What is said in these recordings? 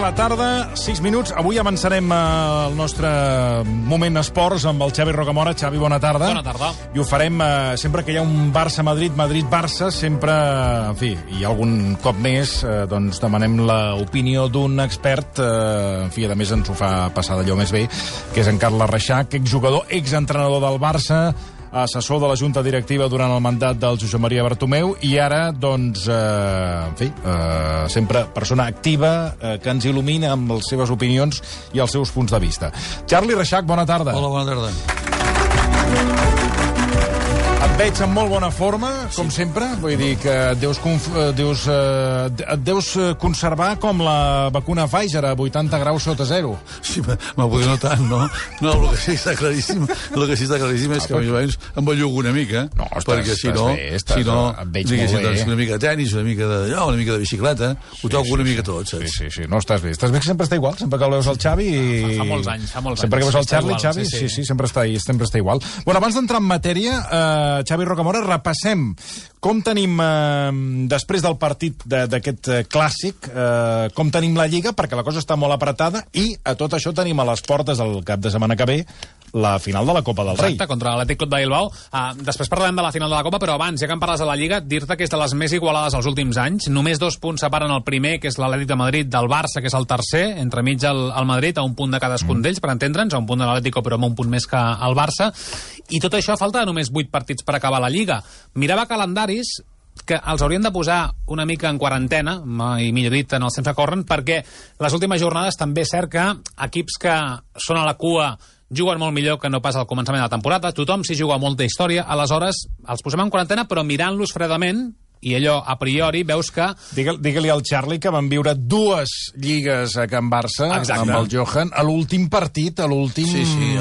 la tarda, 6 minuts. Avui avançarem el nostre moment esports amb el Xavi Rocamora. Xavi, bona tarda. Bona tarda. I ho farem sempre que hi ha un Barça-Madrid, Madrid-Barça, sempre, en fi, i algun cop més, doncs demanem l'opinió d'un expert, en fi, a més ens ho fa passar d'allò més bé, que és en Carles Reixac, exjugador, exentrenador del Barça, assessor de la Junta Directiva durant el mandat del Josep Maria Bartomeu i ara, doncs, en fi, sempre persona activa que ens il·lumina amb les seves opinions i els seus punts de vista. Charlie Reixac, bona tarda. Hola, bona tarda. Et veig en molt bona forma, com sempre. Vull dir que et deus conservar com la vacuna Pfizer a 80 graus sota zero. Sí, m'ho no tant, no? No, el que sí està claríssim, és que més o menys em bellugo una mica. No, perquè si no, et veig molt bé. Una mica de tenis, una mica de bicicleta, ho toco una mica tot, saps? Sí, no, estàs bé. Estàs bé que sempre està igual, sempre que el veus el Xavi i... Fa molts anys. Sempre que veus el Charlie, Xavi, sí, sempre està igual. Bueno, abans d'entrar en matèria, Xavi Rocamora, repassem com tenim, després del partit d'aquest clàssic, com tenim la Lliga, perquè la cosa està molt apretada, i a tot això tenim a les portes el cap de setmana que ve la final de la Copa del Rei. Exacte, contra l'Atlètic Club de Bilbao. Després parlarem de la final de la Copa, però abans, ja que em parles de la Lliga, dir-te que és de les més igualades els últims anys. Només 2 punts separen el primer, que és l'Atlètic de Madrid, del Barça, que és el tercer, entremig el Madrid, a un punt de cadascun d'ells, per entendre'ns, a un punt de l'Atlético, però amb un punt més que el Barça. I tot això a falta de només 8 partits per acabar la Lliga. Mirava calendaris que els haurien de posar una mica en quarantena, i millor dit, en els temps que corren, perquè les últimes jornades també és cert que equips que són a la cua juguen molt millor que no pas al començament de la temporada. Tothom s'hi juga molta història, aleshores els posem en quarantena, però mirant-los fredament, i allò, a priori, veus que... Digue-li al Charlie que van viure 2 lligues a Can Barça. Exacte. Amb el Johan, a l'últim partit, a l'últim... Sí,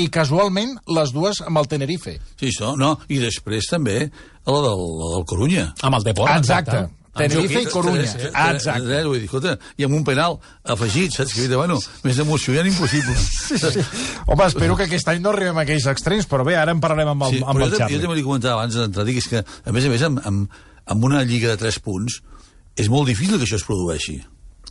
I casualment, les 2 amb el Tenerife. Sí, això, no, i després també la del Corunya. Amb el Deport. Exacte. Tenerife i Corunya. Exacte. Vull dir, escolta, i amb un penal afegit, saps? Que, bueno, més emocionant impossible. Sí. Home, espero que aquest any no arribem a aquells extrems, però bé, ara en parlarem amb el Charlie. Jo també li comentava abans d'entrar, és que, a més, amb una lliga de 3 punts, és molt difícil que això es produeixi.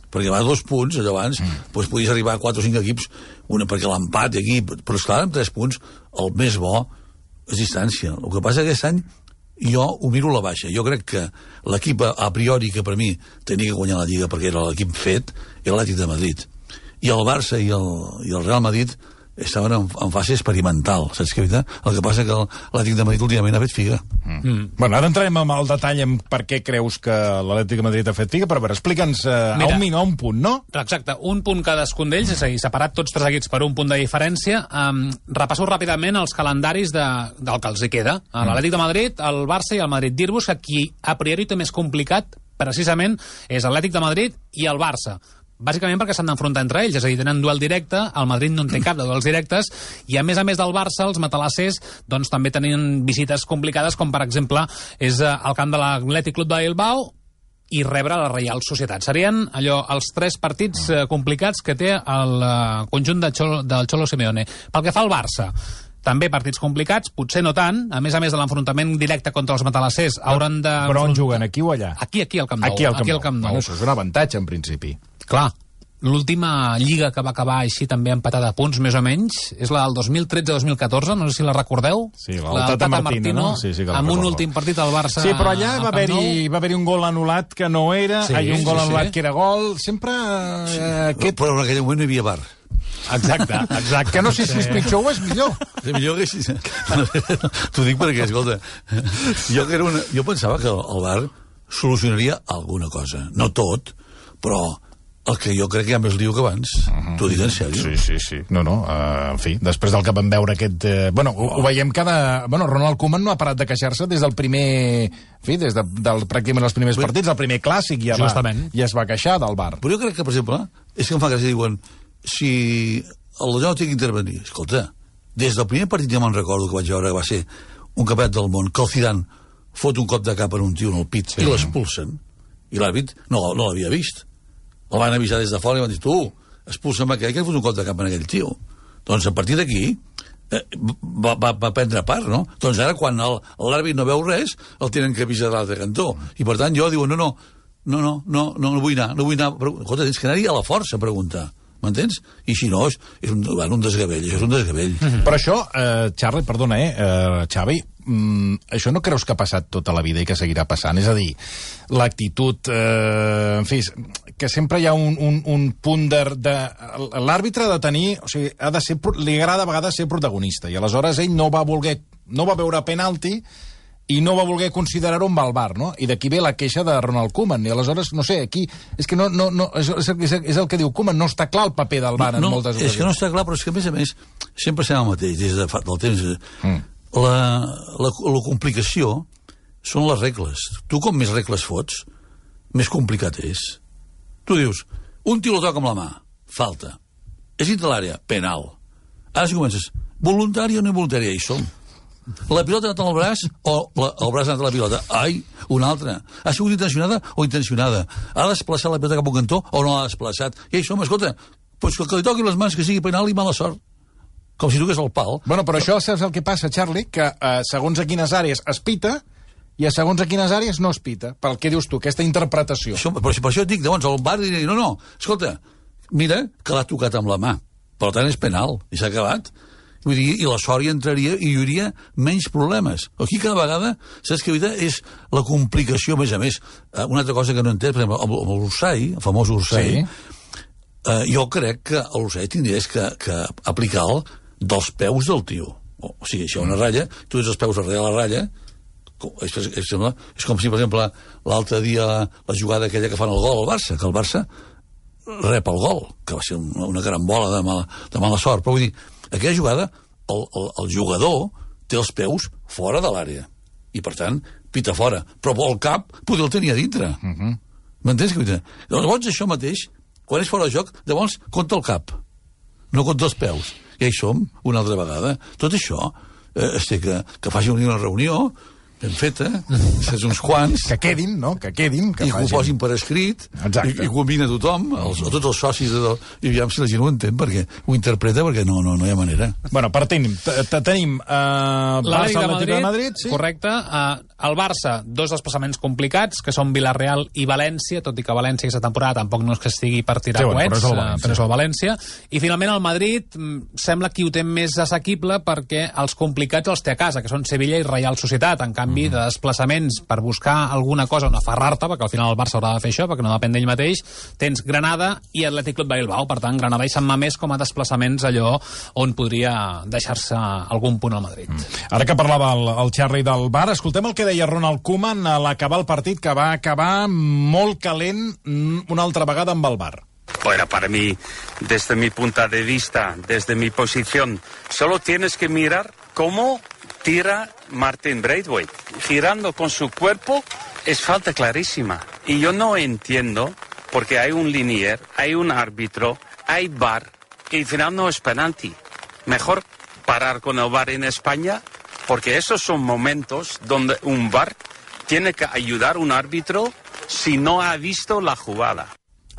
Perquè va a 2 punts, allò abans, doncs podies arribar a 4 o 5 equips, perquè l'empat aquí... Però, esclar, amb 3 punts, el més bo és distància. El que passa aquest any, jo ho miro a la baixa. Jo crec que l'equip a priori que per mi tenia que guanyar la Lliga perquè era l'equip fet era l'Atlètic de Madrid. I el Barça i el Real Madrid estaven en fase experimental, saps què? El que passa que l'Atlètic de Madrid últimament ha fet figa. Bueno, ara entrarem amb el detall en per què creus que l'Atlètic de Madrid ha fet figa, però a veure, explica'ns a un punt, no? Exacte, un punt cadascun d'ells, és a dir, separat tots 3 equips per un punt de diferència. Repasso ràpidament els calendaris del que els hi queda. L'Atlètic de Madrid, el Barça i el Madrid. Dir-vos que qui a priori té més complicat, precisament, és l'Atlètic de Madrid i el Barça. Bàsicament perquè s'han d'enfrontar entre ells, és a dir, tenen duel directe, el Madrid no en té cap de duels directes, i a més del Barça, els matalassers doncs, també tenien visites complicades, com per exemple és el camp de l'Atlètic Club de Bilbao i rebre la Reial Societat. Serien els 3 partits complicats que té el conjunt del Cholo Simeone. Pel que fa al Barça, també partits complicats, potser no tant, a més de l'enfrontament directe contra els matalassers hauran de... Però on juguen, aquí o allà? Aquí al Camp Nou. Aquí al Camp Nou. Bueno, això és un avantatge, en principi. Clar, l'última lliga que va acabar així també empatada a punts, més o menys, és la del 2013-2014, no sé si la recordeu. Sí, la Tata Martino, no? Sí, que amb un últim partit al Barça. Sí, però allà va haver-hi un gol anul·lat que no era, un gol anul·lat que era gol, sempre... Però en aquell moment no hi havia VAR. Exacte. Que no sé si és pitjor o és millor. És millor que així. T'ho dic perquè, escolta, jo pensava que el VAR solucionaria alguna cosa. No tot, però el que jo crec que hi ha més liu que abans. T'ho dic en sèrio. Sí. No, en fi, després del que vam veure aquest... ho veiem Ronald Koeman no ha parat de queixar-se des del primer... En fi, des del pràcticament els primers partits, el primer clàssic, ja es va queixar del VAR. Però jo crec que, per exemple, és que em fa gràcia, diuen, si el no té que intervenir, escolta, des del primer partit ja me'n recordo que vaig veure que va ser un campionat del món, que el Zidane fot un cop de cap en un tio en el pit i l'expulsen, i l'àrbit no l'havia vist. El van avisar des de fora i van dir, tu, expulsa'm aquell que ha fot un cop de cap en aquell tio. Doncs a partir d'aquí va prendre part, no? Doncs ara quan l'àrbit no veu res, el tenen que avisar de l'altre cantó. I per tant jo diu, no, no vull anar. Escolta, tens que anar-hi a la força a preguntar. M'entens? I si no, és un desgavell, això és un desgavell. Però això, Charlie, perdona, Xavi, això no creus que ha passat tota la vida i que seguirà passant? És a dir, l'actitud, en fi, que sempre hi ha un punt de... L'àrbitre ha de tenir... O sigui, li agrada a vegades ser protagonista, i aleshores ell no va veure penalti i no va voler considerar-ho amb el VAR, no? I d'aquí ve la queixa de Ronald Koeman, i aleshores, no sé, aquí... És que és el que diu Koeman, no està clar el paper del VAR en moltes ocasions. És que no està clar, però és que, a més, sempre serà el mateix, des del temps. La complicació són les regles. Tu, com més regles fots, més complicat és. Tu dius, un tio lo toca amb la mà, falta. És dintre l'àrea, penal. Ara si comences, voluntari o no involuntari, hi som. La pilota ha anat al braç o el braç ha anat a la pilota? Ai, una altra. Ha sigut intencionada o intencionada? Ha desplaçat la pilota cap a un cantó o no l'ha desplaçat? I això, escolta, pues que li toquin les mans, que sigui penal i mala sort. Com si toqués el pal. Bueno, però això saps el que passa, Charlie? Que segons a quines àrees es pita i a segons a quines àrees no es pita. Per què dius tu, aquesta interpretació? Per això et dic, llavors, el VAR diré, no, escolta, mira que l'ha tocat amb la mà. Per tant, és penal. I s'ha acabat. Vull dir, i la sort hi entraria i hi hauria menys problemes. Aquí cada vegada, saps que és la complicació, a més. Una altra cosa que no entenc, per exemple, amb l'Ursai, el famós Ursai, jo crec que l'Ursai tindries que aplicar dels peus del tio. O sigui, si hi ha una ratlla, tu tens els peus darrere la ratlla, és com si, per exemple, l'altre dia la jugada aquella que fan el gol al Barça, que el Barça rep el gol, que va ser una carambola de mala sort, però vull dir, aquella jugada, el jugador té els peus fora de l'àrea. I, per tant, pita fora. Però el cap poder el tenir a dintre. M'entens? Llavors, això mateix, quan és fora de joc, llavors compta el cap. No compta els peus. I hi som, una altra vegada. Tot això, que faci una reunió ben feta, saps, uns quants... Que quedin, no? Que quedin. I que ho posin per escrit, i combina tothom, tots els socis, i aviam si la gent ho entén, perquè ho interpreta, perquè no hi ha manera. Bueno, tenim Barça, Atlètic de Madrid, sí? Correcte. El Barça, dos desplaçaments complicats, que són Villarreal i València, tot i que València aquesta temporada tampoc no és que estigui per tirar coets, però és el València. I finalment el Madrid sembla que ho té més assequible perquè els complicats els té a casa, que són Sevilla i Reial Societat. En canvi, de desplaçaments per buscar alguna cosa on aferrar-te, perquè al final el Barça haurà de fer això, perquè no depèn d'ell mateix, tens Granada i Atlètic Club de Bilbao. Per tant, Granada i Sant Mamés com a desplaçaments allò on podria deixar-se algun punt al Madrid. Ara que parlava el Charlie del VAR, escoltem el que deia Ronald Koeman a l'acabar el partit, que va acabar molt calent una altra vegada amb el VAR. Bueno, para mí, desde mi punto de vista, desde mi posición, solo tienes que mirar cómo tira Martin Braithwaite. Girando con su cuerpo es falta clarísima. Y yo no entiendo, porque hay un linier, hay un árbitro, hay VAR, y al final no es penalti. Mejor parar con el VAR en España, porque esos son momentos donde un VAR tiene que ayudar a un árbitro si no ha visto la jugada.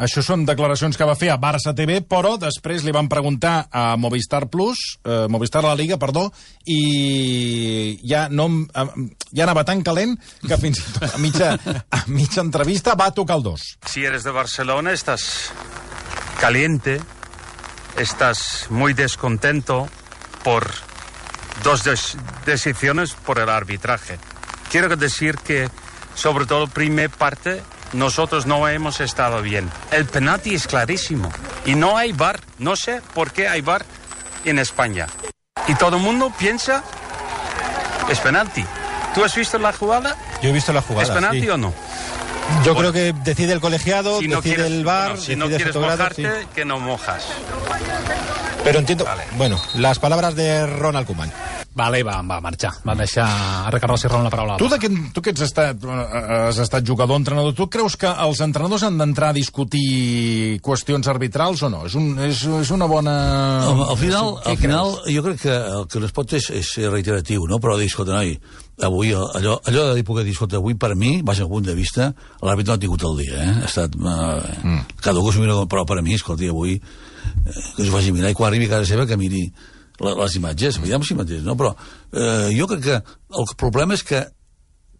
Això són declaracions que va fer a Barça TV, però després li van preguntar a Movistar La Liga, i ja anava tan calent que fins i tot a mitja entrevista va tocar el 2. Si eres de Barcelona, estás caliente, estás muy descontento por dos decisiones por el arbitraje. Quiero decir que, sobre todo, primera parte, nosotros no hemos estado bien. El penalti es clarísimo. Y no hay VAR. No sé por qué hay VAR en España. Y todo el mundo piensa, es penalti. ¿Tú has visto la jugada? Yo he visto la jugada. ¿Es penalti o no? Yo creo que decide el colegiado, si no decide el VAR, si no quieres mojarte, sí, que no mojas. Però entiendo, bueno, las palabras de Ronald Koeman. Vale, va marxar. Va deixar a Ricardo Serrano la paraula. Tu que has estat jugador, entrenador, tu creus que els entrenadors han d'entrar a discutir qüestions arbitrals o no? És una bona... Al final, jo crec que el que no es pot és ser reiteratiu, no? Però dir, escolta, noi, avui, allò de dir, dir, escolta, avui per mi, vaig al punt de vista, l'àrbitre no ha tingut el dia, Ha estat... Cada un que s'ho mira, però per mi, escolta, avui, que s'ho faci mirar, i quan arribi a casa seva que miri les imatges, veiem si mateix, no? Però jo crec que el problema és que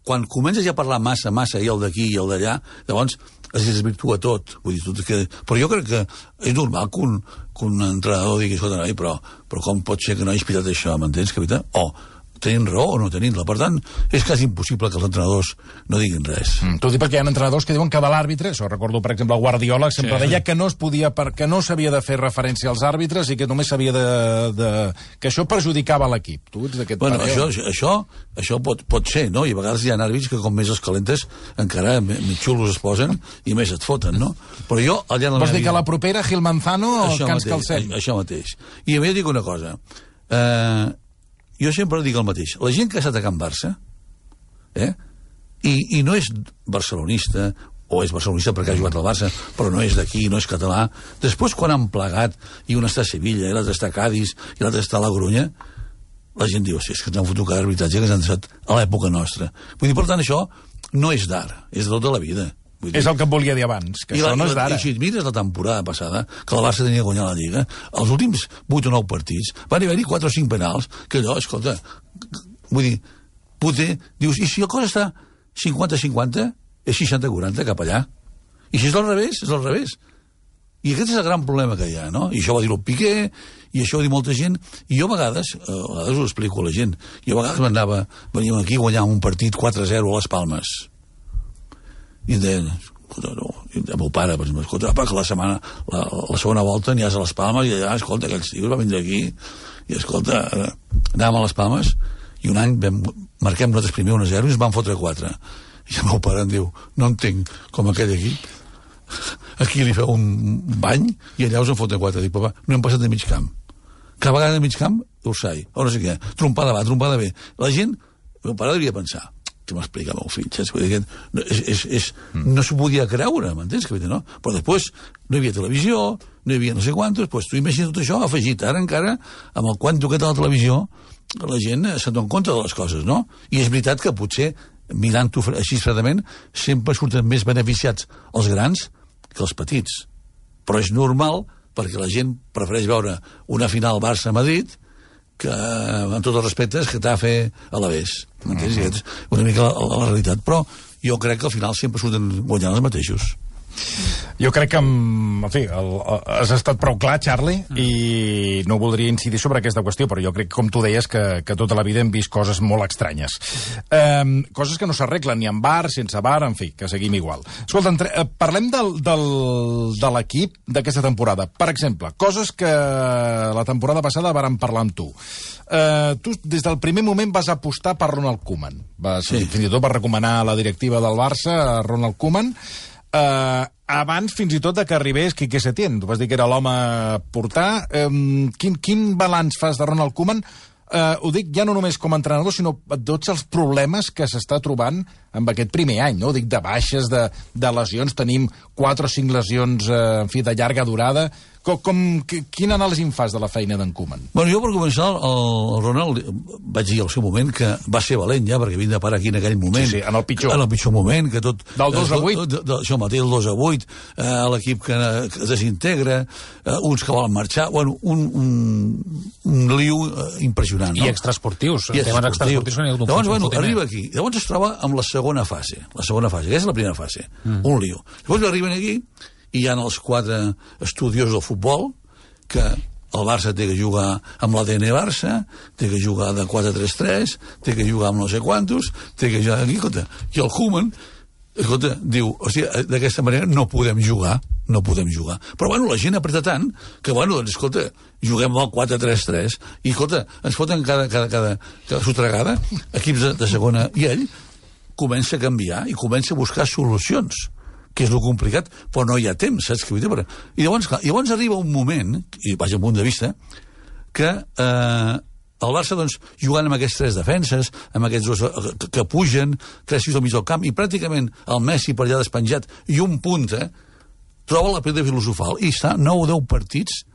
quan comences ja a parlar massa, i el d'aquí i el d'allà, llavors es desvirtua tot. Vull dir, però jo crec que és normal que un entrenador digui, escolta, noi, però com pot ser que no hagis pitat això, m'entens, capità? O tenint raó o no tenint-la. Per tant, és quasi impossible que els entrenadors no diguin res. T'ho dic perquè hi ha entrenadors que diuen que de l'àrbitre, això recordo, per exemple, el Guardiola sempre deia que no es podia, que no s'havia de fer referència als àrbitres i que només s'havia que això perjudicava l'equip. Tu ets d'aquest parer? Això pot ser, no? I a vegades hi ha àrbits que com més els calentes encara més xulos es posen i més et foten, no? Però jo... Vols dir que la propera, Gil Manzano, que ens calcem? Això mateix. I a mi dic una cosa. Jo sempre dic el mateix. La gent que ha estat a Can Barça, i no és barcelonista, o és barcelonista perquè ha jugat al Barça, però no és d'aquí, no és català, després quan han plegat, i un està a Sevilla, i l'altre està a Cádiz, i l'altre està a la Corunya, la gent diu, és que ens han fotut cada arbitratge que ens han deixat a l'època nostra. Vull dir, per tant, això no és d'ara, és de tota la vida. És el que em volia dir abans, que això no és d'ara. I si et mires la temporada passada, que el Barça tenia de guanyar la Lliga, els últims 8 o 9 partits van haver-hi 4 o 5 penals, que allò, escolta, vull dir, poder, dius, i si la cosa està 50-50, és 60-40 cap allà. I si és al revés, és al revés. I aquest és el gran problema que hi ha, no? I això va dir el Piqué, i això va dir molta gent, i jo a vegades ho explico a la gent, jo a vegades veníem aquí a guanyar un partit 4-0 a les Palmes. I deien, el meu pare, per exemple, escolta, que la segona volta aniràs a les Palmes i allà, escolta, aquells tios van vindre aquí i, escolta, anàvem a les Palmes i un any marquem nosaltres primer 1-0 i ens van fotre 4. I el meu pare em diu, no entenc com aquell aquí li feu un bany i allà us en foten 4. Dic, papa, no hem passat de mig camp. Cada vegada de mig camp, Ursai, o no sé què, trompada va, trompada ve. La gent, el meu pare devia pensar, que m'explica el meu fill, saps? No s'ho podia creure, m'entens? No? Però després no hi havia televisió, no hi havia no sé quantos, doncs tu imagina tot això afegit. Ara encara, amb el quanto que té la televisió, la gent se'n dona compte de les coses, no? I és veritat que potser, mirant-ho així fredament, sempre surten més beneficiats els grans que els petits. Però és normal, perquè la gent prefereix veure una final Barça-Madrid que, amb tots els respectes, que t'ha a fer a l'Avés. M'entens? És una mica la realitat. Però jo crec que al final sempre surten guanyant els mateixos. Jo crec que, en fi, has estat prou clar, Charlie, i no voldria incidir sobre aquesta qüestió, però jo crec, com tu deies, que tota la vida hem vist coses molt estranyes. Coses que no s'arreglen ni amb VAR, sense VAR, en fi, que seguim igual. Escolta, parlem de l'equip d'aquesta temporada. Per exemple, coses que la temporada passada vàrem parlar amb tu. Tu, des del primer moment, vas apostar per Ronald Koeman. Fins i tot vas recomanar a la directiva del Barça a Ronald Koeman, abans fins i tot que arribés Quique Setién. Tu vas dir que era l'home a portar. Quin balanç fas de Ronald Koeman? Ho dic ja no només com a entrenador, sinó tots els problemes que s'està trobant amb aquest primer any, no? Ho dic de baixes, de lesions. Tenim 4 o 5 lesions, en fi, de llarga durada. Quina anàlisi en fas de la feina d'en Koeman? Bueno, jo per començar, el Ronald, vaig dir al seu moment que va ser valent ja, perquè vinc de parar aquí en aquell moment. Sí, en el pitjor. En el pitjor moment, que tot... Del 2-8? Això mateix, el 2-8, l'equip que es desintegra, uns que volen marxar, bueno, un liu impressionant, no? I extraesportius. Temes extraesportius que n'hi ha hagut un llavors, bueno, arriba aquí. Llavors es troba amb la segona fase, que és la primera fase, un liu. Llavors arriben aquí, i hi ha els 4 estudiosos del futbol, que el Barça té que jugar amb l'ADN Barça, té que jugar de 4-3-3, té que jugar amb no sé quantos, té que jugar aquí, escolta. I el Koeman, escolta, diu, hòstia, d'aquesta manera no podem jugar. Però, bueno, la gent apreta tant que, bueno, doncs, escolta, juguem amb el 4-3-3 i, escolta, ens foten cada sotregada, equips de segona, i ell comença a canviar i comença a buscar solucions, que és lo complicat, però no hi ha temps, saps? I llavors arriba un moment, i vaig al punt de vista, que el Barça, doncs, jugant amb aquests 3 defenses, amb aquests 2 que pugen, 3 6 al mig del camp, i pràcticament el Messi per allà despenjat, i un punta, troba la pedra filosofal, i està 9 o 10 partits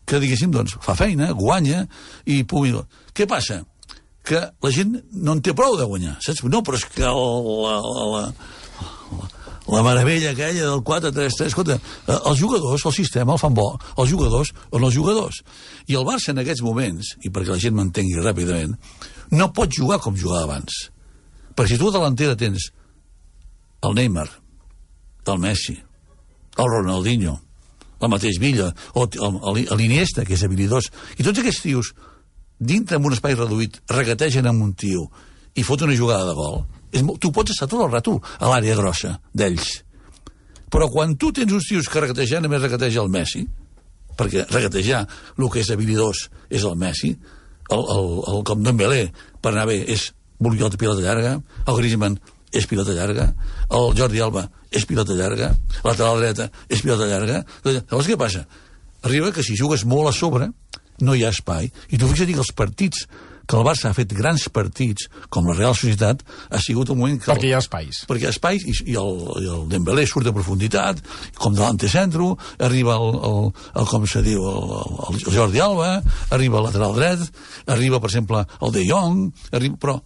que, diguéssim, doncs, fa feina, guanya, i pugui... Què passa? Que la gent no en té prou de guanyar, saps? No, però és que la meravella aquella del 4-3-3, escolta, els jugadors, el sistema el fan bo, els jugadors on els jugadors. I el Barça en aquests moments, i perquè la gent m'entengui ràpidament, no pot jugar com jugava abans. Perquè si tu a delantera tens el Neymar, el Messi, el Ronaldinho, el mateix Villa, o l'Iniesta, que és habilidós, i tots aquests tios, dintre d'un espai reduït, regategen amb un tio i fot una jugada de gol, tu pots estar tot el rato a l'àrea grossa d'ells. Però quan tu tens uns tios que regategen, només regateja el Messi, perquè regatejar el que és habilidós és el Messi, el com Dembélé, per anar bé, és voler pilota llarga, el Griezmann és pilota llarga, el Jordi Alba és pilota llarga, la lateral dreta és pilota llarga. Llavors què passa? Arriba que si jugues molt a sobre no hi ha espai, i tu fixa't que els partits que el Barça ha fet grans partits, com la Real Societat, ha sigut un moment que... Perquè hi ha espais. Perquè hi ha espais, i el Dembélé surt a profunditat, com de l'antecentro, arriba com se diu, el Jordi Alba, arriba el lateral dret, arriba, per exemple, el De Jong, però...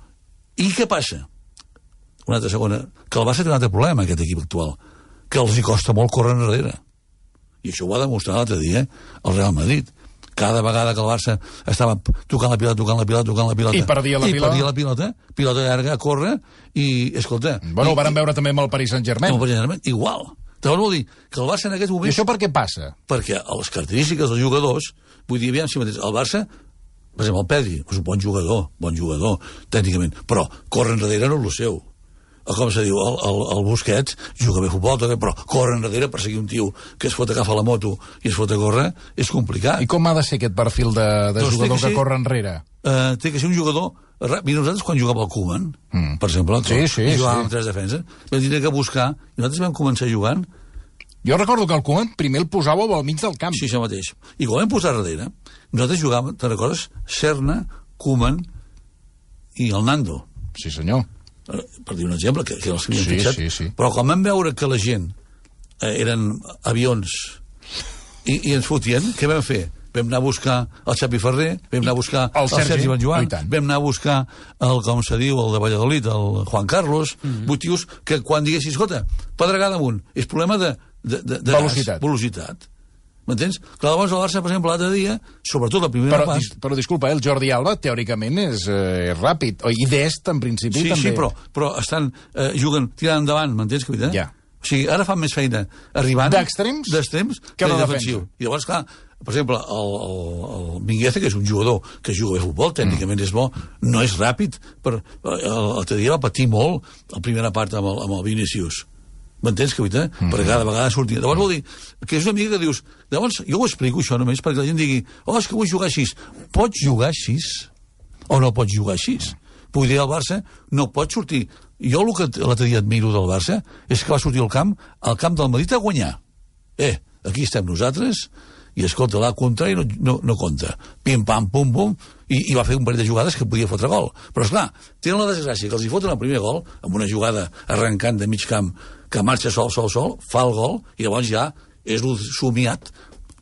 I què passa? Una altra segona, que el Barça té un altre problema, aquest equip actual, que els hi costa molt córrer enrere. I això ho va demostrar l'altre dia el Real Madrid. Cada vegada que el Barça estava tocant la pilota... I perdia la pilota. Pilota llarga, a córrer, i, escolta... Bueno, ho vàrem veure també amb el Paris Saint-Germain. Amb el Paris Saint-Germain, igual. Llavors vol dir que el Barça en aquest moment... I això per què passa? Perquè les característiques dels jugadors, vull dir, aviam si mateix, el Barça, per exemple, el Pedri, és un bon jugador, tècnicament, però córrer enrere no és el seu. Com se diu, el Busquets juga bé futbol, però córrer enrere per seguir un tio que es fot agafar la moto i es fot a córrer, és complicat. I com ha de ser aquest perfil de jugador que corre enrere? Té que ser un jugador... Mira, nosaltres quan jugàvem al Koeman, per exemple, jugàvem amb 3 defenses, vam tenir que buscar, i nosaltres vam començar jugant... Jo recordo que el Koeman primer el posàveu al mig del camp. Sí, això mateix. I quan vam posar darrere, nosaltres jugàvem, te'n recordes? Serna, Koeman i el Nando. Sí, senyor. Per dir un exemple, que els havíem fixat. Sí. Però quan vam veure que la gent eren avions i ens fotien, què vam fer? Vam anar a buscar el Xavi Ferrer, vam anar a buscar el Sergi Benjoan, vam anar a buscar el, com se diu, el de Valladolid, el Juan Carlos, motius que quan diguessis, escolta, pedregada amunt, és problema de velocitat. M'entens? Clar, llavors el Barça, per exemple, l'altre dia, sobretot la primera part... Però disculpa, el Jordi Alba, teòricament, és ràpid. I Dest, en principi, també. Sí, però estan juguen tirant endavant, m'entens, Capità? Ja. O sigui, ara fan més feina arribant... D'extrems que de defensiu. I llavors, clar, per exemple, el Mingueza, que és un jugador que juga bé a futbol, tècnicament és bo, no és ràpid, però l'altre dia va patir molt la primera part amb el Vinícius. M'entens, Capità? Perquè cada vegada sortia. Llavors vol dir que és una mica que dius... Llavors, jo ho explico, això només, perquè la gent digui és que vull jugar així. Pots jugar així o no pots jugar així? Vull dir, el Barça no pot sortir... Jo el que l'altre dia admiro del Barça és que va sortir al camp del Madrid a guanyar. Aquí estem nosaltres i, escolta, la contra i no compta. Pim, pam, pum, pum, i va fer un parell de jugades que podia fotre gol. Però, esclar, tenen la desgràcia que els hi foten el primer gol amb una jugada arrencant de mig camp que marxa sol, fa el gol, i llavors ja és somiat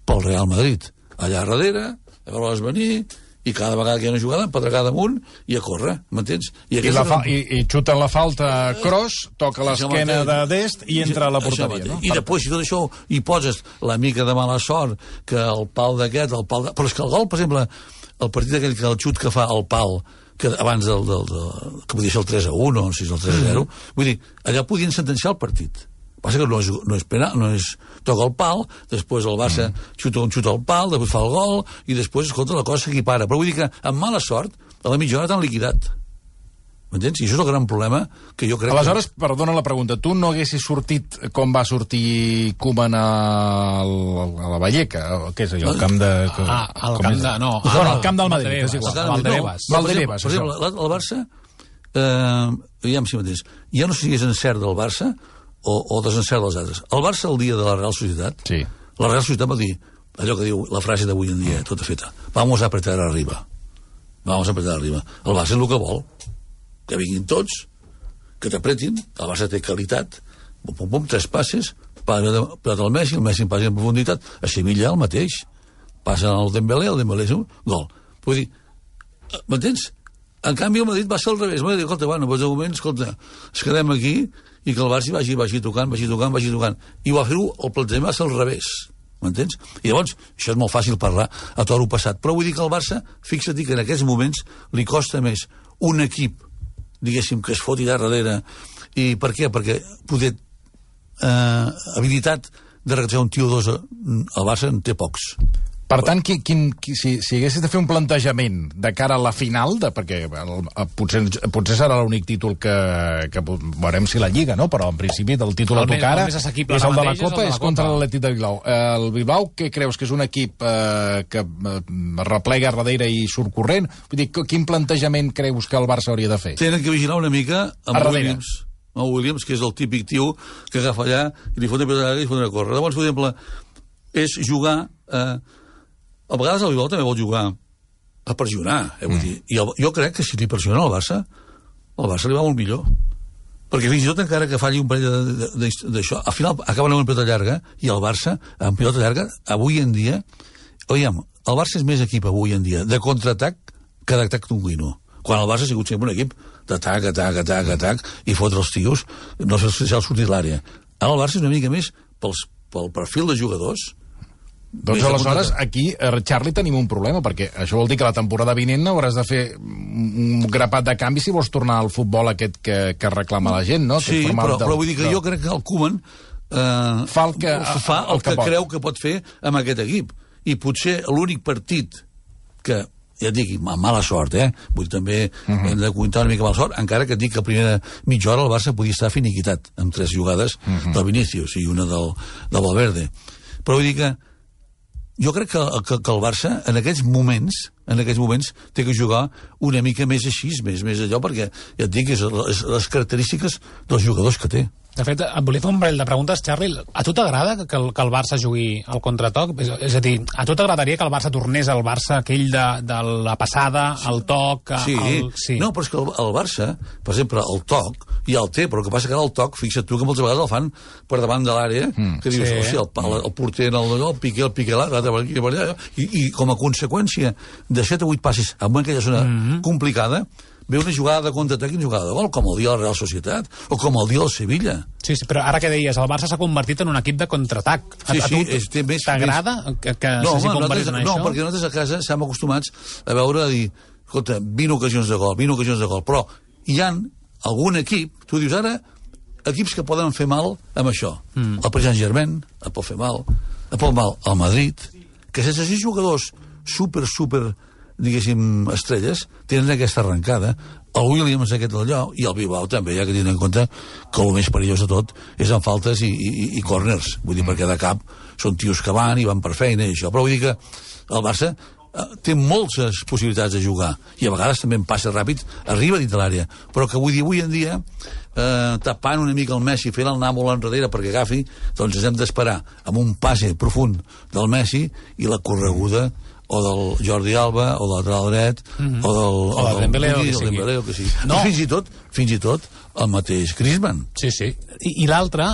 pel Real Madrid. Allà darrere, a veure'ls venir, i cada vegada que hi ha una jugada, pedregada amunt, i a córrer, m'entens? I xuten la falta Kroos, toca l'esquena de Dest i entra a la porteria, no? I després, si tot això hi poses la mica de mala sort, que el pal d'aquest, però és que el gol, per exemple, el partit aquell que el xut que fa el pal, que abans que podia ser el 3-1 o si és el 3-0, vull dir, allà podien sentenciar el partit. Passa que no és penal, no és... Toca el pal, després el Barça xuta el pal, després fa el gol, i després, escolta, la cosa s'equipara. Però vull dir que, amb mala sort, a la mitja hora t'han liquidat. M'entens? I això és el gran problema que jo crec... Aleshores, perdona la pregunta, tu no haguessis sortit com va sortir Koeman a la Valleca? Què és allò? El camp de... el camp de... No, el camp del Madrid, és igual. Valdebebas. Per exemple, el Barça, aviam si mateix, ja no sé si és encert del Barça o desencert dels altres. El Barça, el dia de la Real Societat, la Real Societat va dir allò que diu la frase d'avui en dia, tota feta, vamos a apretar arriba. El Barça és el que vol, que vinguin tots, que t'apretin, el Barça té qualitat, pum, pum, 3 passes, pilota al Messi, el Messi passa en profunditat, a Sevilla el mateix, passa el Dembélé és un gol. Vull dir, m'entens? En canvi el Madrid va ser al revés, va dir, escolta, bueno, doncs de moment, escolta, ens quedem aquí i que el Barça vagi tocant, i va fer-ho, el plantejament va ser al revés, m'entens? I llavors, això és molt fàcil parlar a toro passat, però vull dir que el Barça, fixa't que en aquests moments li costa més un equip diguéssim, que es foti de darrere. I per què? Perquè poder habilitat de recatar un tio o dos al Barça en té pocs. Per tant, si haguessis de fer un plantejament de cara a la final, perquè potser serà l'únic títol que veurem si la Lliga, no? Però en principi el títol a tocar ara és el de la Copa, és contra l'Atlètic de Bilbao. El Bilbao, què creus? Que és un equip que replega darrere i surt corrent? Vull dir, quin plantejament creus que el Barça hauria de fer? Tenen que vigilar una mica amb Williams. Williams, que és el típic tio que agafa allà i li fot una pilota i li fot una córrer. Llavors, per exemple, és jugar... A vegades el Bilbao també vol jugar a pressionar, vull dir. I jo crec que si li pressiona al Barça, el Barça li va molt millor. Perquè fins i tot encara que falli un parell d'això, al final acaben amb una pilota llarga, i el Barça, amb pilota llarga, avui en dia, el Barça és més equip avui en dia de contraatac que d'atac continu. Quan el Barça ha sigut sempre un equip d'atac, atac, i fotre els tios, no sé si s'ha sortit l'àrea. Ara el Barça és una mica més pel perfil de jugadors. Doncs aleshores, aquí, Charlie, tenim un problema, perquè això vol dir que la temporada vinent hauràs de fer un grapat de canvis si vols tornar al futbol aquest que reclama la gent, no? Sí, però vull dir que jo crec que el Koeman fa el que creu que pot fer amb aquest equip. I potser l'únic partit que, ja et dic, amb mala sort, vull dir, també hem de comptar una mica mala sort, encara que et dic que a primera mitja hora el Barça podia estar finiquitat, amb 3 jugades del Vinícius i una del Valverde. Però vull dir que jo crec que el Barça, en aquests moments, té que jugar una mica més així, més allò, perquè, ja et dic, és les característiques dels jugadors que té. De fet, et volia fer un parell de preguntes, Charlie. A tu t'agrada que el Barça jugui al contratoc? És a dir, a tu t'agradaria que el Barça tornés al Barça aquell de la passada, el toc... Sí. No, però és que el Barça, per exemple, el toc, ja el té, però el que passa que ara el toc, fixa't tu que moltes vegades el fan per davant de l'àrea, que dius, el porter el piqué l'altre per aquí, per allà, i com a conseqüència de 7 o 8 passes en aquella zona complicada, ve una jugada de contraatac i una jugada de gol, com el dia de la Real Societat, o com el dia del Sevilla. Sí, però ara que deies, el Barça s'ha convertit en un equip de contraatac. Sí, a tu t'agrada que s'hagi convertit en això? No, perquè nosaltres a casa estem acostumats a veure, a dir, escolta, 20 ocasions de gol, però hi ha algun equip, tu dius ara, equips que poden fer mal amb això. El Paris Saint-Germain et pot fer mal, el Madrid, que sense 6 jugadors super, diguéssim, estrelles, tenen aquesta arrencada. El Williams aquest allò, i el Bilbao també, ja que tenen en compte que el més perillós de tot és en faltes i corners. Vull dir, perquè de cap són tios que van i van per feina i això. Però vull dir que el Barça té moltes possibilitats de jugar i a vegades també en passa ràpid, arriba dins de l'àrea. Però que vull dir, avui en dia, tapant una mica el Messi, fent el anar molt enrere perquè agafi, doncs ens hem d'esperar amb un passe profund del Messi i la correguda o del Jordi Alba, o del lateral dret, o del Dembélé, o que sigui. No. Fins i tot el mateix Griezmann. Sí. I l'altre,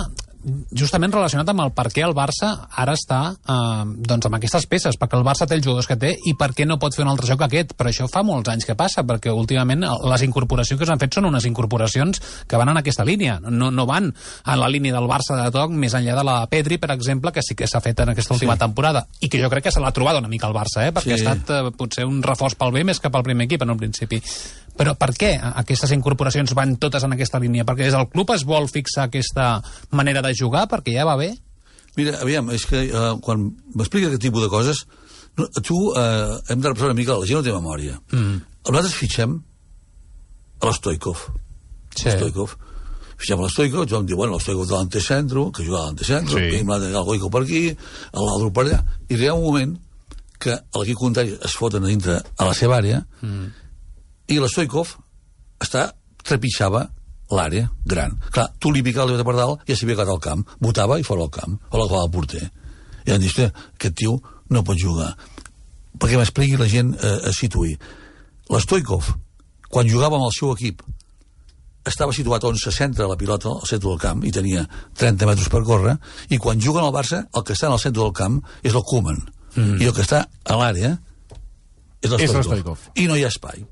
justament relacionat amb el per què el Barça ara està doncs amb aquestes peces, perquè el Barça té els jugadors que té i per què no pot fer un altre joc aquest. Però això fa molts anys que passa, perquè últimament les incorporacions que s'han fet són unes incorporacions que van en aquesta línia, no van en la línia del Barça de toc, més enllà de la Pedri, per exemple, que sí que s'ha fet en aquesta última temporada, i que jo crec que se l'ha trobat una mica el Barça, perquè ha estat potser un reforç pel B més que pel primer equip en un principi. Però per què aquestes incorporacions van totes en aquesta línia? Perquè des del club es vol fixar aquesta manera de jugar, perquè ja va bé? Mira, aviam, és que quan m'explica aquest tipus de coses, hem de repassar una mica, la gent no té memòria. Nosaltres fitxem a l'Stoikov. Fitxem a l'Stoikov, ens vam dir, bueno, l'Stoikov de l'antecentro, que jugava a l'antecentro, el Goico per aquí, l'Aldro per allà, i hi ha un moment que l'equip contrari es foten a dintre a la seva àrea, i l'Stoikov trepitjava l'àrea gran. Clar, tu li picava per dalt i ja s'havia quedat al camp. Botava i fora al camp. O la clavava al porter. I han dit, aquest tio no pot jugar. Perquè m'expliqui la gent a situir. L'Stoikov, quan jugava amb el seu equip, estava situat on se centra la pilota al centre del camp i tenia 30 metres per córrer, i quan juguen al Barça, el que està en el centre del camp és el Koeman. I el que està a l'àrea és l'Stoikov. I no hi ha espai.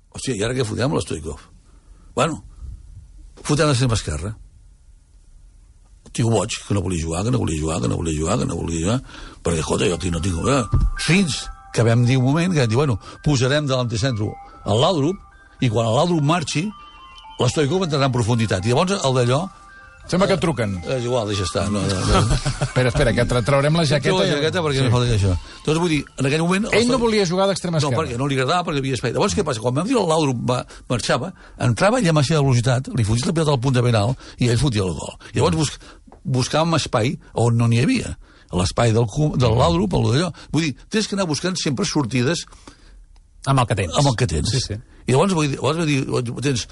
Hòstia, i ara què fotem l'Stoikov? Bueno, fotem l'extrem esquerra. El tio boig, que no volia jugar, perquè, escolta, jo aquí no tinc... Fins que vam dir un moment que vam dir, bueno, posarem de l'antecentro a l'Aldrup, i quan l'Aldrup marxi, l'Stoico va entrar en profunditat. I llavors el d'allò... Sembla que et truquen. És igual, deixa estar. No. Espera, que traurem la jaqueta. Treu la jaqueta perquè no falta això. Doncs vull dir, en aquell moment... Ell no volia jugar d'extrema esquerra. No, perquè no li agradava, perquè havia espai. Llavors, què passa? Quan vam dir el Laudrup marxava, entrava ell amb la seva velocitat, li fotia la pilota al punt de penal i ell fotia el gol. I llavors buscàvem espai on no n'hi havia. L'espai del Laudrup, d'allò. Vull dir, tens que anar buscant sempre sortides amb el que tens. Amb el que tens. Sí. I llavors vull dir, tens...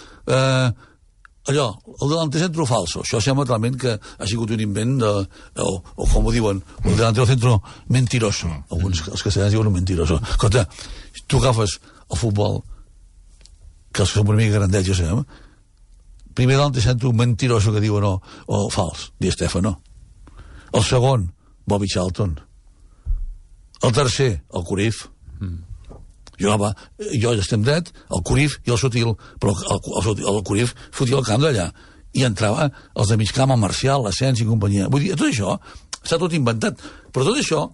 allò, el delantero centro falso, això sembla realment que ha sigut un invent o com ho diuen, el delantero centro mentiroso, alguns els castellans diuen un mentiroso. Escolta, tu agafes el futbol, que els que som una mica grandets, ja sabem, primer delantero centro mentiroso que diuen o fals, Di Stefano. El segon, Bobby Charlton. El tercer, el Cruyff. Jo estem dret, el Cruyff i el Sutil, però el Cruyff fotia el camp d'allà i entrava els de mig camp, el Marcial, l'Asens i companyia. Vull dir, tot això està tot inventat, però tot això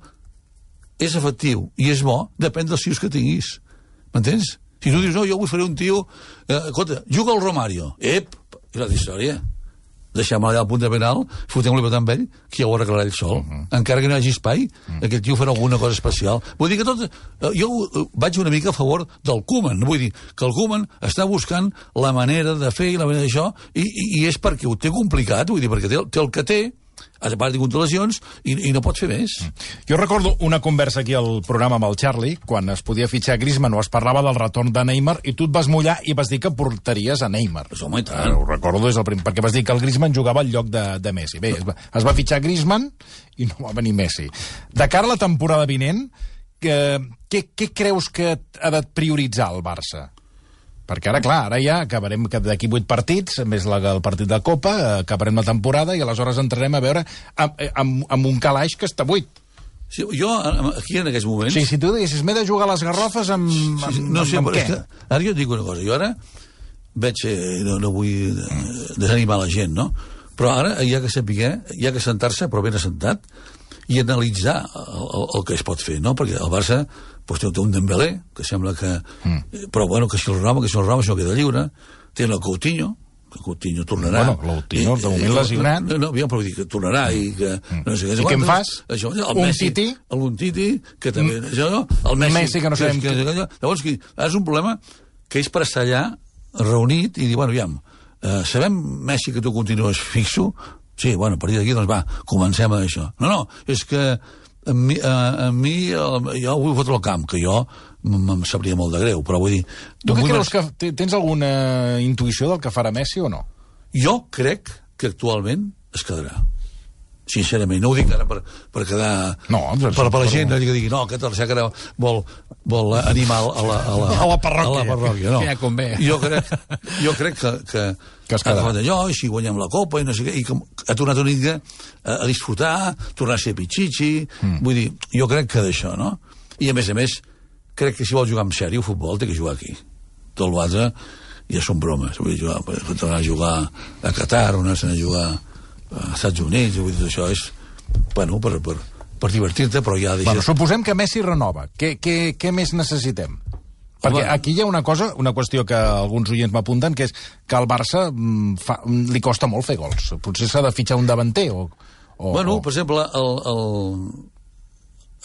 és efectiu i és bo, depèn dels tios que tinguis. M'entens? Si tu dius, no, jo vull fer un tio... escolta, juga el Romario. És la història. Deixem allà al punt de penal, fotem-li amb ell, que ja ho arreglarà ell sol. Encara que no hi hagi espai, aquest tio farà alguna cosa especial. Vull dir que tot... Jo vaig una mica a favor del Koeman. Vull dir que el Koeman està buscant la manera de fer i la manera d'això, i és perquè ho té complicat, vull dir, perquè té el que té, a part de controlacions, i no pot fer més. Jo recordo una conversa aquí al programa amb el Charlie, quan es podia fitxar Griezmann o es parlava del retorn de Neymar, i tu et vas mullar i vas dir que portaries a Neymar. Pues, home, i tant. Ho recordo des del primer, perquè vas dir que el Griezmann jugava al lloc de Messi. Bé, es va fitxar Griezmann i no va venir Messi. De cara a la temporada vinent, què creus que ha de prioritzar el Barça? Perquè ara, clar, ara ja acabarem d'aquí 8 partits, més el partit de Copa, acabarem la temporada i aleshores entrarem a veure amb un calaix que està buit. Sí, jo, aquí en aquests moments... Sí, si tu diguessis, m'he de jugar a les garrofes amb què? Ara jo et dic una cosa, jo ara veig, no vull desanimar la gent, no? Però ara hi ha que saber, hi ha que sentar-se, però ben assentat, i analitzar el que es pot fer, no? Perquè el Barça pues, té un Dembélé, que sembla que... Però bueno, que si el Roma, això queda lliure. Té el Coutinho, que Coutinho tornarà. Bueno, Coutinho, de moment lesionat. No, però vull dir que tornarà i que... No sé, I què en fas? Això, un Titi? Un Titi, que també... El Messi, que no sabem... Llavors, és un problema que és per estar allà reunit i dir, bueno, aviam, sabem, Messi, que tu continues fixo? Sí, bueno, a partir d'aquí, doncs va, comencem a això. No, és que a mi jo vull fotre el camp, que jo em sabria molt de greu, però vull dir... Tu què creus que tens alguna intuïció del que farà Messi o no? Jo crec que actualment es quedarà. Sincerament, no ho dic ara per quedar... No, per la gent que digui, no, aquest Arsac ara vol animar a la parròquia. No. Ja convé. Jo crec que es quedarà. Allò, i si guanyem la Copa i no sé què, i ha tornat una mica a disfrutar, tornar a ser pitxitxi, vull dir, jo crec que d'això, no? I a més, crec que si vol jugar en sèrio futbol té que jugar aquí. Tot l'altre ja són bromes. Vull dir, tornar a jugar a Qatar, anar a jugar als Estats Units, vull dir, això és, bueno, per divertir-te, però ja... Bueno, suposem que Messi renova. Què més necessitem? Perquè aquí hi ha una qüestió que alguns oients m'apunten, que és que al Barça li costa molt fer gols. Potser s'ha de fitxar un davanter o... Bueno, per exemple,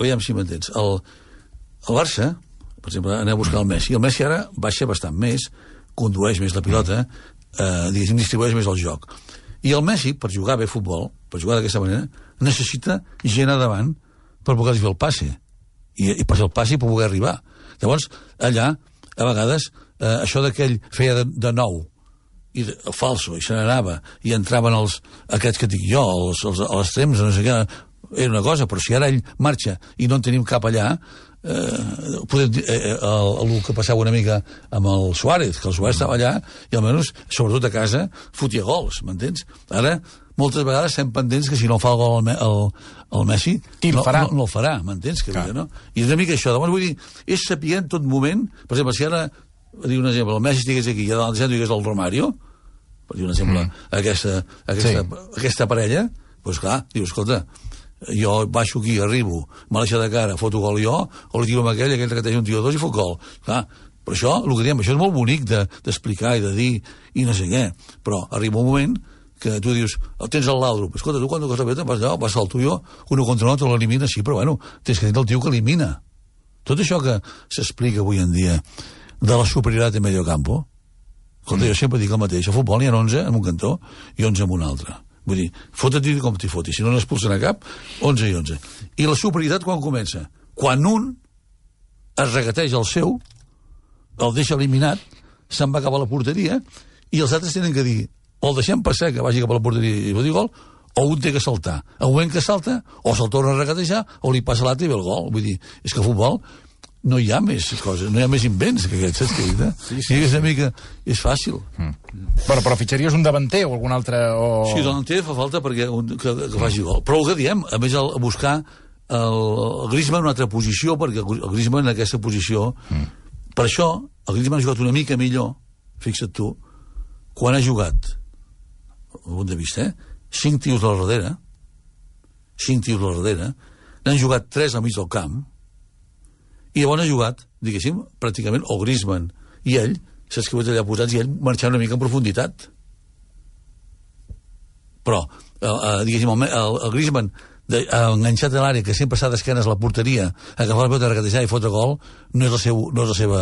aviam si m'entens. El Barça, per exemple, anem a buscar el Messi. El Messi ara baixa bastant més, condueix més la pilota, diguéssim, distribueix més el joc. I el Messi, per jugar bé a futbol, per jugar d'aquesta manera, necessita gent a davant per poder fer el passe. I per fer el passe i per poder arribar. Llavors, allà, a vegades, això d'aquell feia de nou, i falso, i se n'anava, i entraven aquests que dic jo, els extrems, no sé què, era una cosa, però si ara ell marxa i no en tenim cap allà, el que passava una mica amb el Suárez, que el Suárez estava allà i almenys, sobretot a casa, fotia gols, m'entens? Ara, moltes vegades estem pendents que si no fa el gol el Messi, no el farà, m'entens? No? I és una mica això, llavors vull dir, és saber en tot moment, per exemple, si ara, diu un exemple, el Messi estigués aquí i a dalt digués el Romario, per dir un exemple, aquesta parella, doncs clar, dius, escolta, jo baixo aquí, arribo, me l'aixa de cara, foto gol jo, o li tiro amb aquell repeteix un tio o dos i fot gol. Clar, Per això, el que diem, això és molt bonic d'explicar i de dir i no sé què, però arriba un moment que tu dius, tens el Laudrup, escolta, tu quan toques la pelota vas allà, vas al tuyo, uno contra l'altre l'elimina, sí, però bueno, tens que tenir el tio que elimina. Tot això que s'explica avui en dia de la superioritat en medio campo, escolta, jo sempre dic el mateix, a futbol n'hi ha 11 en un cantó i 11 en un altre. Vull dir, fota-t'hi com t'hi fotis, si no n'expulsen a cap, 11 i 11. I la superioritat quan comença? Quan un es regateja el seu, el deixa eliminat, se'n va cap a la porteria, i els altres tenen que dir, o el deixem passar que vagi cap a la porteria i ho digui gol, o un té que saltar. Al moment que salta, o se'l torna a regatejar, o li passa l'altre i ve el gol. Vull dir, és que a futbol no hi ha més coses, no hi ha més invents que aquests, saps què dic? Sí, és una mica... és fàcil. Però fitxaries un davanter o algun altre... Sí, davanter fa falta perquè que faci gol. Però el que diem, a més, buscar el Griezmann en una altra posició, perquè el Griezmann en aquesta posició... Per això, el Griezmann ha jugat una mica millor, fixa't tu, quan ha jugat, al punt de vista, 5 tios a la darrere, 5 tios a la darrere, n'han jugat 3 al mig del camp, i llavors ha jugat, diguéssim, pràcticament, el Griezmann i ell, saps que ho allà posats, i ell marxant una mica en profunditat. Però, diguéssim, el Griezmann enganxat a l'àrea, que sempre està d'esquenes a la porteria, agafar la pelota, regatejar i fotre gol, no és la seva...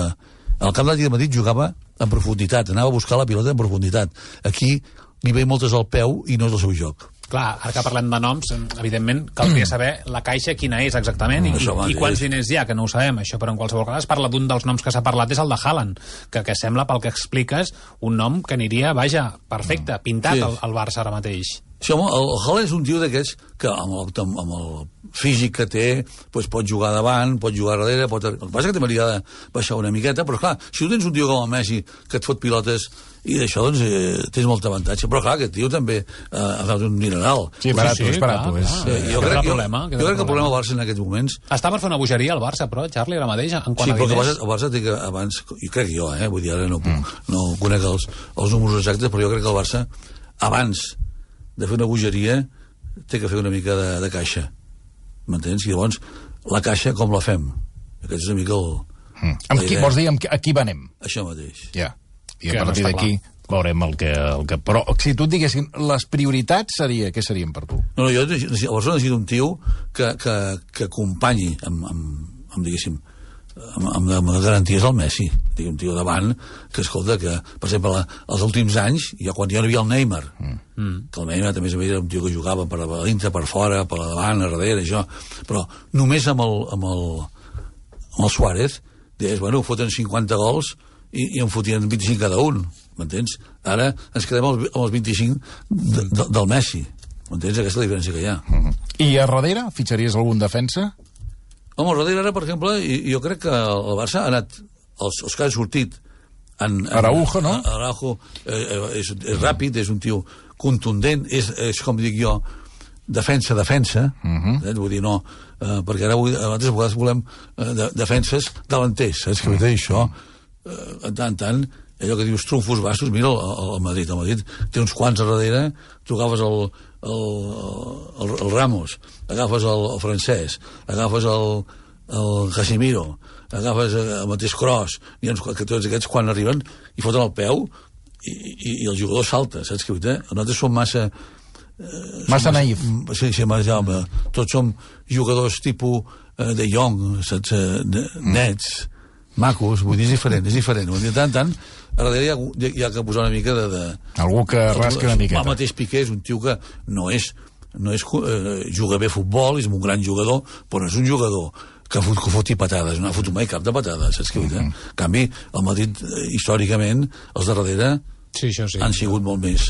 El camp d'Atlètic de Madrid jugava en profunditat, anava a buscar la pilota en profunditat. Aquí li ve moltes al peu i no és el seu joc. Clar, ara que parlem de noms, evidentment, caldria saber la caixa quina és exactament i quants diners hi ha, que no ho sabem, això, però en qualsevol cas es parla d'un dels noms que s'ha parlat, és el de Haaland, que sembla, pel que expliques, un nom que aniria, vaja, perfecte, pintat al Barça ara mateix. Sí, home, el Haaland és un tio d'aquests que amb el físic que té doncs pot jugar davant, pot jugar darrere, el que passa que també li ha de baixar una miqueta, però clar, si tu tens un tio com el Messi que et fot pilotes i d'això doncs tens molt avantatge, però clar, aquest tio també ha fet un mineral. Sí, barato. Jo crec que el problema del Barça en aquests moments... Està per fer una bogeria al Barça, però, Charlie, ara mateix, en quant a diners. Sí, però el Barça té que abans, i crec jo, vull dir, ara no conec els números exactes, però jo crec que el Barça abans de fer una bogeria té que fer una mica de caixa, m'entens? I llavors la caixa com la fem? Aquest és una mica vols dir a qui venem? Això mateix. Ja, i a partir d'aquí veurem el que... Però si tu et diguessin les prioritats, què serien per tu? No, jo el Barça necessita un tio que acompanyi diguéssim, amb garanties al Messi, un tio davant que, escolta, que, per exemple, els últims anys, quan ja no hi havia el Neymar, que el Neymar també era un tio que jugava per a dintre, per fora, per davant, a darrere, això, però només amb el Suárez, deies, bueno, foten 50 gols i en fotien 25 cada un, m'entens? Ara ens quedem amb els 25 del Messi, m'entens? Aquesta és la diferència que hi ha. I a darrere, fitxaries algun defensa? Home, al darrere, per exemple, jo crec que el Barça ha anat, els que han sortit... Araujo, no? Araujo és ràpid, és un tio contundent, és com dic jo, defensa, vull dir, no, perquè ara altres vegades volem defenses delanters, saps què vull dir això? En tant, allò que dius trumfos bastos, mira el Madrid té uns quants a darrere, tu agafes el Ramos, agafes el francès, agafes el Casemiro, agafes el mateix Kroos, que tots aquests quan arriben i foten el peu i el jugador salta, saps què vull dir? Nosaltres som massa naïf. Sí, tots som jugadors tipus de Jong, saps? Nets, macos, vull dir, és diferent. Vull dir, tant, a darrere hi ha que posar una mica de... Algú que rasqui una miqueta. El mateix Piqué és un tio que no és juga bé a futbol, és un gran jugador, però no és un jugador que foti patades, no ha fotut mai cap de patades, saps què vull dir? En canvi, el Madrid, històricament, els de darrere han sigut molt més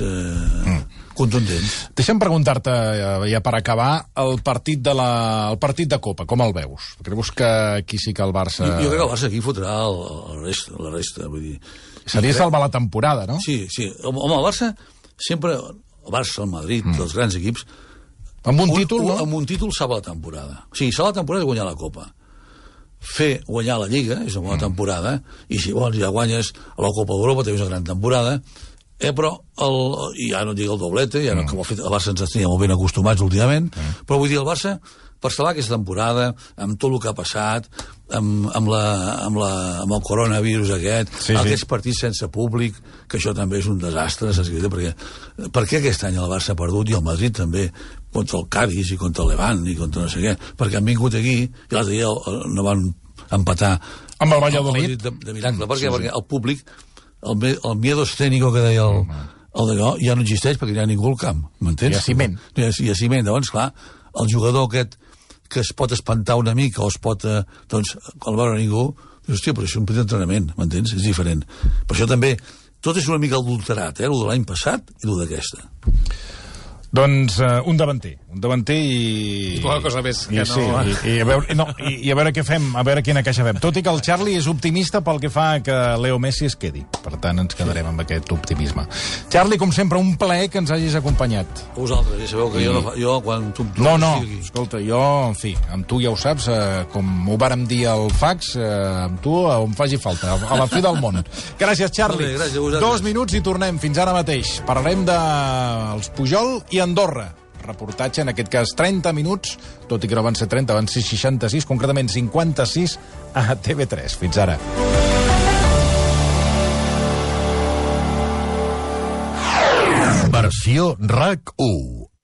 contundents. Deixa'm preguntar-te, ja per acabar, el partit de Copa, com el veus? Creus que aquí sí que el Barça... Jo crec que el Barça aquí fotrà la resta, vull dir... Seria salvar la temporada, no? Sí. Home, el Barça sempre... El Barça, el Madrid, els grans equips... Amb un títol, no? Amb un títol salva la temporada. O sigui, salvar la temporada és guanyar la Copa. Fer guanyar la Lliga és una bona temporada, i si vols ja guanyes a la Copa d'Europa, també és una gran temporada, Però ja no dic el doblete, ja no, que el Barça ens tenia molt ben acostumats últimament, però vull dir, el Barça, per salvar aquesta temporada, amb tot el que ha passat, amb el coronavirus aquests partits sense públic, que això també és un desastre, perquè aquest any el Barça ha perdut, i el Madrid també, contra el Cádiz i contra el Levant i contra no sé què, perquè han vingut aquí i l'altre dia no van empatar amb el Valladolid de miracle. Per què? Perquè el públic, el miedo escénico que deia el d'allò, ja no existeix perquè no hi ha ningú al camp, m'entens? Hi ha ciment. Hi ha ciment, llavors, clar, el jugador aquest que es pot espantar una mica o es pot, doncs, al veure ningú, dius, hòstia, però això és un petit entrenament, m'entens? És diferent. Per això també, tot és una mica adulterat, el de l'any passat i el d'aquesta. Doncs un davanter i... Poca cosa més que no... Sí, i a veure què fem, a veure quina caixa fem. Tot i que el Charlie és optimista pel que fa que Leo Messi es quedi. Per tant, ens quedarem amb aquest optimisme. Charlie, com sempre, un plaer que ens hagis acompanyat. Vosaltres, ja sabeu que jo quan tu... No, escolta, jo, en fi, amb tu ja ho saps, com ho vàrem dir al fax, amb tu on faci falta, a la fi del món. Gràcies, Charlie. Molt bé, gràcies a vosaltres. 2 minuts i tornem, fins ara mateix. Parlarem dels Pujol i Andorra. Reportatge, en aquest cas 30 minuts, tot i que no van ser 30, van ser 66, concretament 56 a TV3. Fins ara. Versió RAC 1.